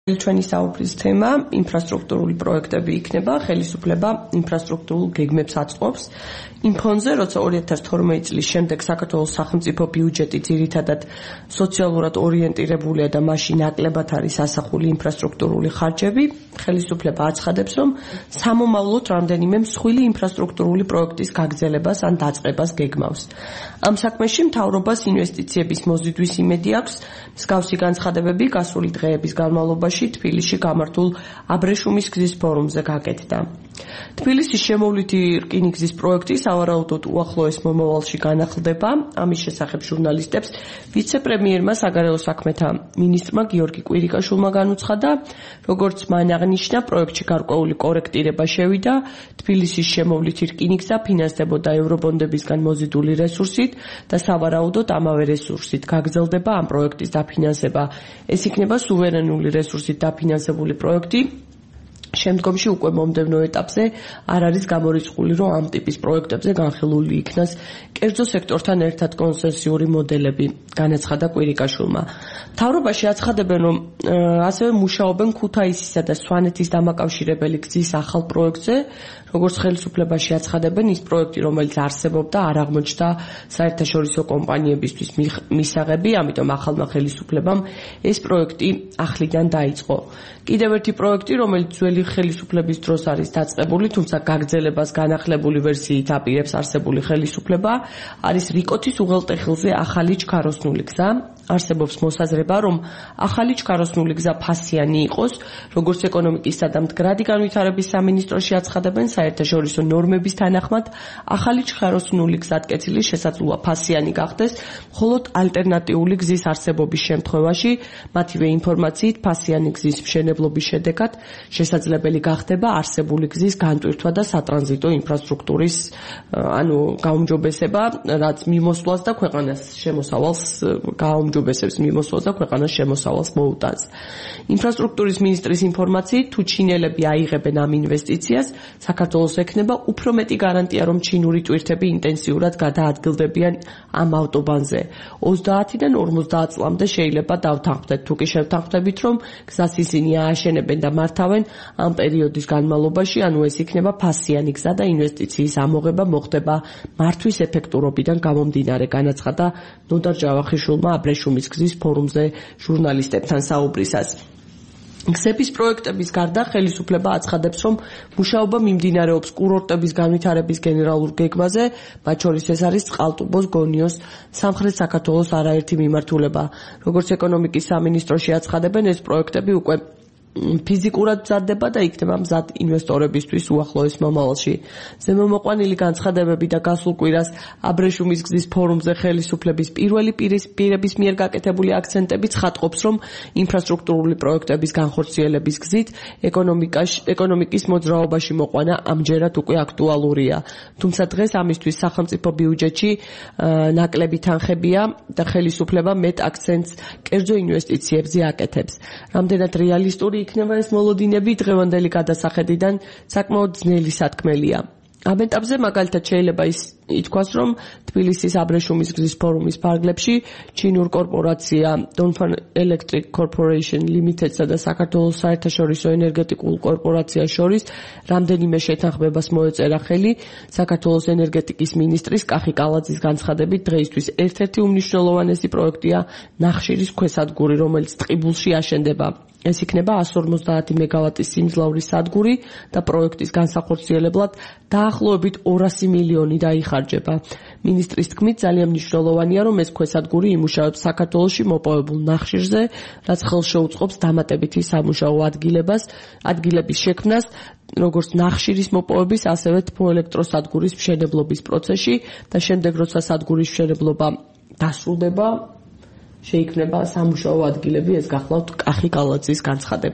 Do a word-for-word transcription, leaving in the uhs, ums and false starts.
ჩვენი საუბრის თემა ინფრასტრუქტურული პროექტები იქნება, ხელისუფლება ინფრასტრუქტურულ გეგმებს აწყობს. იმ ფონზე, როცა ორი ათას თორმეტი წლის შემდეგ საქართველოს სახელმწიფო ბიუჯეტი ძირითადად სოციალურად ორიენტირებულია და მასში ნაკლებად არის ასახული ინფრასტრუქტურული ხარჯები, ხელისუფლება აცხადებს, რომ სამომავლოდ რამდენიმე მსხვილი ინფრასტრუქტურული პროექტის გაგრძელებას ან დაწყებას გეგმავს. ამ საქმეში მთავრობას ინვესტიციების მოზიდვის იმედი აქვს, მსგავსი განცხადებები გასული დღეების განმავლობაში თბილისში გამართულ აბრეშუმის გზის ფორუმზე გაკეთდა. თბილისის შემოვლითი რკინიგზის პროექტი სავარაუდოდ უახლოეს მომავალში განახლდება. ამის შესახებ ჟურნალისტებს ვიცე-პრემიერმა საგარეო საქმეთა მინისტრმა გიორგი კვირიკაშვილმა განუცხადა, როგორც მან აღნიშნა, პროექტში გარკვეული კორექტირება შევიდა. თბილისის შემოვლითი რკინიგზა ფინანსდებოდა ევრობონდებისგან მოზიდული რესურსით და სავარაუდოდ ამავე რესურსით გაგრძელდება ამ პროექტის დაფინანსება. ეს იქნება სუვერენული რესურსით დაფინანსებული პროექტი. შემდგომში უკვე მომდევნო ეტაპზე არ არის გამორიცხული, რომ ამ ტიპის პროექტებზე განხილული იქნას კერძო სექტორთან ერთად კონცესიური მოდელები, განაცხადა კვირიკაშვილმა. მთავრობაში აცხადებენ, რომ ასევე მუშაობენ ქუთაისისა და სვანეთის დამაკავშირებელი გზის ახალ პროექტზე, როგორც ხელისუფლებაში აცხადებენ, ის პროექტი, რომელიც არსებობდა, არ აღმოჩნდა საერთაშორისო კომპანიებისთვის მისაღები, ამიტომ ახალმა ხელისუფლებამ ეს პროექტი ახლიდან დაიწყო. კიდევ ერთი პროექტი, რომელიც ძველი ხელისუფლების დროს არის დაწყებული, თუმცა გაგრძელებას განახლებული ვერსიით აპირებს არსებული ხელისუფლება, არის რიკოთის უღელტეხილზე ახალი ჩქაროსნული გზა. არსებობს მოსაზრება, რომ ახალი ჩქაროსნული გზა ფასიანი იყოს, როგორც ეკონომიკისა და მდგრადი განვითარების სამინისტროში აცხადებენ, საერთაშორისო ნორმების თანახმად, ახალი ჩქაროსნული გზატკეცილი შესაძლოა ფასიანი გახდეს, მხოლოდ ალტერნატიული გზის არსებობის შემთხვევაში, მათივე ინფორმაციით, ფასიანი გზის მშენებლობის შედეგად შესაძლებელი გახდება არსებული გზის განტვირთვა და სატრანზიტო ინფრასტრუქტურის ანუ გაუმჯობესება, რაც მიმოსვლას და ქვეყანას შემოსავალს გაუმჯობესებს. ჯობესებს მიმოსვლას და ქვეყანას შემოსავალს მოუტანს. ინფრასტრუქტურის მინისტრის ინფორმაციით, თუ ჩინელები აიღებენ ამ ინვესტიციას, საქართველოს ექნება უფრო მეტი გარანტია, რომ ჩინური ტვირთები ინტენსიურად გადაადგილდებიან ამ ავტობანზე. ოცდაათიდან ორმოცდაათ წლამდე შეიძლება დავთანხმდეთ, თუ კი შევთანხმდებით, რომ გზას ისინი ააშენებენ და მართავენ ამ პერიოდის განმავლობაში, ანუ ეს იქნება ფასიანი გზა და ინვესტიციის ამოღება მოხდება მართვის ეფექტურობიდან გამომდინარე, განაცხადა ნოდარ ჯავახიშვილმა აბრეშუმის გზის ფორუმზე ჟურნალისტებთან საუბრისას. გზების პროექტების გარდა ხელისუფლება აცხადებს, რომ მუშაობა მიმდინარეობს კურორტების განვითარების გენერალურ გეგმაზე, მათ შორის ეს არის წყალტუბოს გონიოს სამხრეთ საქართველოს არაერთი მიმართულება. როგორც ეკონომიკის სამინისტროში აცხადებენ, ეს პროექტები უკვე ფიზიკურად მზადდება და იქნება მზად ინვესტორებისთვის უახლოეს მომავალში. ზემომოყვანილი განცხადებები და გასულ კვირას აბრეშუმის გზის ფორუმზე ხელისუფლების პირველი პირების მიერ გაკეთებული აქცენტები ცხადყოფს, რომ ინფრასტრუქტურული პროექტების განხორციელების გზით ეკონომიკის მოძრაობაში მოყვანა ამჯერად უკვე აქტუალურია. თუმცა დღეს ამისთვის სახელმწიფო ბიუჯეტში ნაკლები თანხებია და ხელისუფლება მეტ აქცენტს კერძო ინვესტიციებზე აკეთებს. რამდენად რეალისტური იქნება ეს მოლოდინები დღევანდელი გადასახედიდან საკმაოდ ძნელი სათქმელია. ამ ეტაპზე მაგალითად შეიძლება ის ითქვას, რომ თბილისის აბრეშუმის გზის ფორუმის ფარგლებში ჩინურ კორპორაცია Dongfang Electric Corporation Limited-სა და საქართველოს საერთაშორისო ენერგეტიკულ კორპორაციას შორის რამდენიმე შეთანხმებას მოეწერა ხელი. საქართველოს ენერგეტიკის მინისტრის კახი კალაძის განცხადებით, დღეისთვის ერთ-ერთი უმნიშვნელოვანესი პროექტია ნახშირის ქვესადგური, რომელიც ტყიბულში აშენდება. ეს იქნება εκατს ორმოცდაათი მეგავატის სიმძლავრის სადგური და პროექტის განსახორციელებლად დაახლოებით ორასი მილიონი დაიხარჯება. მინისტრის თქმით, ძალიან მნიშვნელოვანია, რომ ეს ქვესადგური იმუშავებს საქართველოში მოპოვებულ ნახშირზე, რაც ხელს შეუწყობს დამატებითი სამუშაო ადგილებას, ადგილების შექმნას, როგორც ნახშირის მოპოვების, ასევე თბოელექტროსადგურის მშენებლობის პროცესში და შემდეგ, როცა სადგურის მშენებლობა დასრულდება, შეიქმნება სამუშაო ადგილები, ეს გახლავთ კახი კალაძის განცხადება.